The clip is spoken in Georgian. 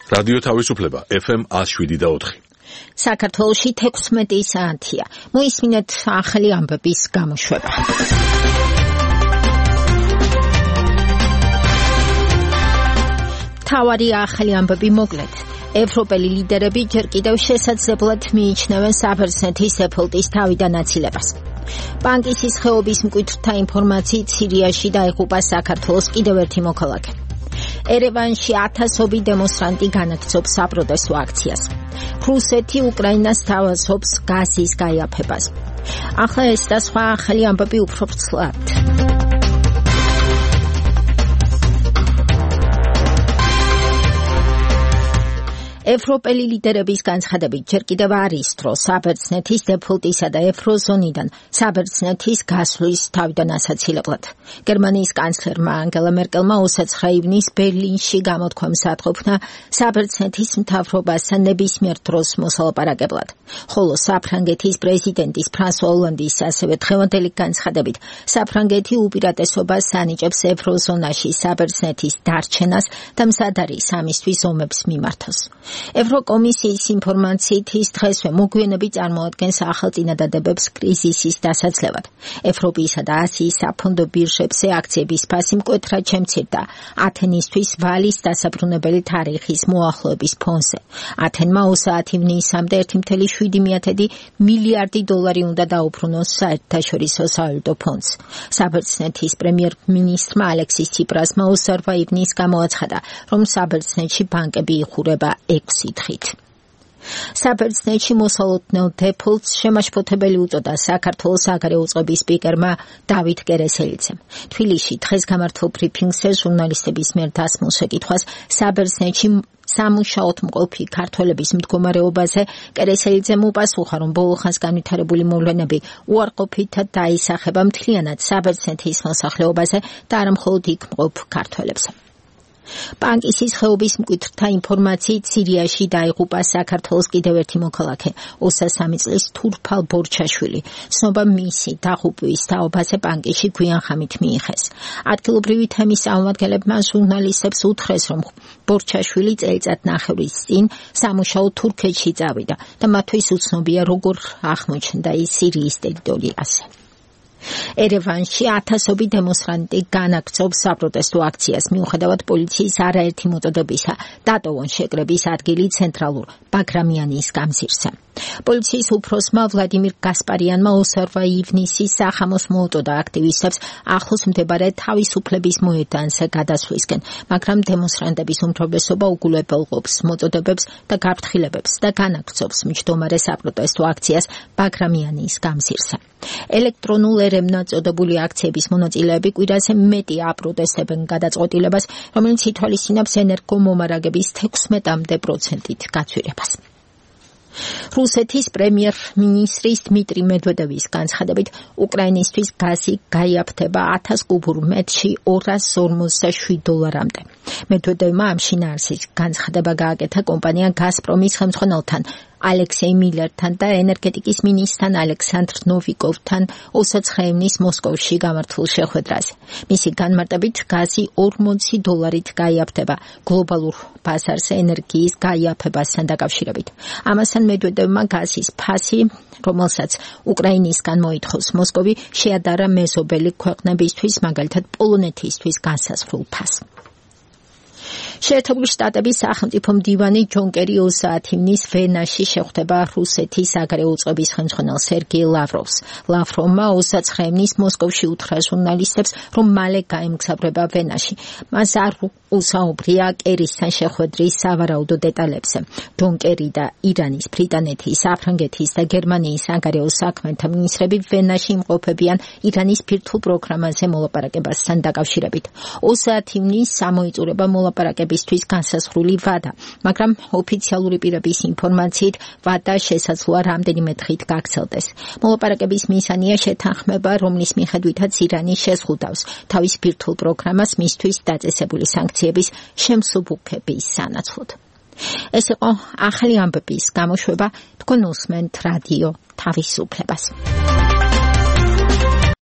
რადიო თავისუფლება FM 107.4. საქართველოში 16 საათია. მოისმინეთ ახალი ამბების გამოშვება. თავარი ახალი ამბები მოკლედ. ევროპელი ლიდერები ჯერ კიდევ შესაძლებლად მიიჩნევენ საბერძნეთის ეფელტის თავიდან აცილებას. ბანკის ხეობის მკვიდრთა ინფორმაციით სირიაში დაიღუპა საქართველოს კიდევ ერთი მოქალაქე. ერევანში ათასობით დემონსტრანტი განაგრძობს საპროტესტო აქციას. რუსეთი უკრაინას თავაზობს გაზის გაიაფებას. ახლა ეს და სხვა ახალი ამბები უფრო ვრცლად. ევროპელი ლიდერების განცხადებით ჯერ კიდევ არის დრო საბერძნეთის დეფოლტისა და ევროზონიდან საბერძნეთის გასვლის თავიდან ასაცილებლად. გერმანიის კანცლერმა ანგელა მერკელმა 29 ივნისს ბერლინში გამოთქვამს ათყოფნა საბერძნეთის მთავრობასთან ნებისმიერ დროს მოსალაპარაკებლად. ხოლო საფრანგეთის პრეზიდენტის ფრანსუა ოლანდის ასევე დღევანდელი განცხადებით საფრანგეთი უპირატესობას ანიჭებს ევროზონაში საბერძნეთის დარჩენას და მზად არის ამისთვის ომებს მიმართოს. ევროკომისიის ინფორმაციით ის დღესვე მოგვიანებით წარმოადგენს ახალ წინადადებებს კრიზისის დასაძლევად. ევროპისა და ასიის საფონდო ბირჟებზე აქციების ფასი მკვეთრად შემცირდა ათენისთვის ვალის დასაბრუნებელი თარიღის მოახლოების ფონზე. ათენმა 30 ივნისამდე 1,7 მილიარდი დოლარი უნდა დაუბრუნოს საერთაშორისო სავალუტო ფონდს. საბერძნეთის პრემიერ-მინისტრმა ალექსის ციპრასმა 28 ივნისს გამოაცხადა, რომ საბერძნეთში ბანკები იხურება 6 დღით. საბერძნეთში მოსალოდნელ დეფოლტს შემაშფოთებელი უწოდა საქართველოს საგარეო წყობის სპიკერმა დავით კერესელიძემ. თბილისში დღეს გამართულ ბრიფინგზე ჟურნალისტების მიერ დასმულ შეკითხვას საბერძნეთში სამუშაოდ მყოფი ქართველების მდგომარეობაზე კერესელიძემ უპასუხა, რომ ბოლო ხანს განვითარებული მოვლენები უარყოფითად დაისახება მთლიანად საბერძნეთის მოსახლეობაზე და არა მხოლოდ იქ მყოფ ქართველებზე. ბანკის ხეობის მკვიდრთა ინფორმაციით სირიაში დაიღუპა საქართველოს კიდევ ერთი მოქალაქე 23 წლის თურფალ ბორჩაშვილი. ცნობა მისი დაღუპვის თაობაზე ბანკში გვიან ხამით მიიღეს. ადგილობრივი თემის წარმომადგენლებმა ჟურნალისტებს უთხრეს, რომ ბორჩაშვილი წელიწადნახევრის წინ სამუშაოდ თურქეთში წავიდა და მათთვის უცნობია როგორ აღმოჩნდა ის სირიის ტერიტორიაზე. ერევანში ათასობით დემონსტრანტი განაგრძობს საპროტესტო აქციას მიუხედავად პოლიციის არაერთი მოწოდებისა დატოვონ შეკრების ადგილი ცენტრალურ ბაგრამიანის გამზირზე. პოლიციის უფროსმა ვლადიმირ გასპარიანმა 28 ივნისის სახამოს მოუწოდა აქტივისტებს ახლოს მდებარე თავისუფლების მოედანზე გადასვლისკენ, მაგრამ დემონსტრანტების უმრავლესობა უგულებელყოფს მოწოდებებს და გაფრთხილებებს და განაგრძობს მჯდომარე საპროტესტო აქციას ბაგრამიანის გამზირზე. ელექტრონულ ერევნად წოდებული აქციების მონაწილეები კვირაზე მეტი აპროტესტებენ გადაწყვეტილებას, რომელიც ითვალისწინებს ენერგომომარაგების 16% გაცვლებას. რუსეთის პრემიერ-მინისტრის დმიტრი მედვედევის განცხადებით, უკრაინისთვის გაზი გაიაფთება 1000 კუბურ მეტრში $247. მედვედევმა ამ შინაარსის განცხადება გააკეთა კომპანია გაზპრომის ხელმძღვანელთან ალექსეი მილერთან და ენერგეტიკის მინისტრთან ალექსანდრ ნოვიკოვთან 29 ივნისს მოსკოვში გამართულ შეხვედრაზე. მისი განმარტებით გაზი $40 გაიაფთება გლობალურ ბაზარზე ენერგიის გაიაფებასთან დაკავშირებით. ამასთან მედვედევმა გაზის ფასი, რომელსაც უკრაინისგან მოითხოვს მოსკოვი, შეადარა მეზობელი ქვეყნებისთვის, მაგალითად პოლონეთისთვის განსაზღვრულ ფასს. შეერთებული შტატების სახელმწიფო მდივანი ჯონ კერი 30 ივნისს ვენაში შეხვდება რუსეთის საგარეო წყობის ხელმძღვანელ სერგეი ლავროვს. ლავროვმა 29 ივნისს მოსკოვში უთხრა ჟურნალისტებს, რომ მალე გაემგზავრება ვენაში. მას არ უსაუბრია კერისთან შეხვედრის სავარაუდო დეტალებზე. ჯონ კერი და ირანის, ბრიტანეთის, საფრანგეთის და გერმანიის საგარეო საქმეთა მინისტრები ვენაში იმყოფებიან ირანის ბირთვულ პროგრამაზე მოლაპარაკებასთან დაკავშირებით. 30 ივნისს ამოიწურება მოლაპარაკებისთვის განსაზღვრული ვადა, მაგრამ ოფიციალური პირების ინფორმაციით ვადა შესაძლოა რამდენიმე დღით გაგრძელდეს. მოლაპარაკების მიზანია შეთანხმება, რომლის მიხედვითაც ირანი შეზღუდავს თავის ბირთვულ პროგრამას მისთვის დაწესებული სანქციების შემსუბუქების სანაცვლოდ. ეს იყო ახალი ამბების გამოშვება, თქვენ უსმენთ რადიო თავისუფლებას.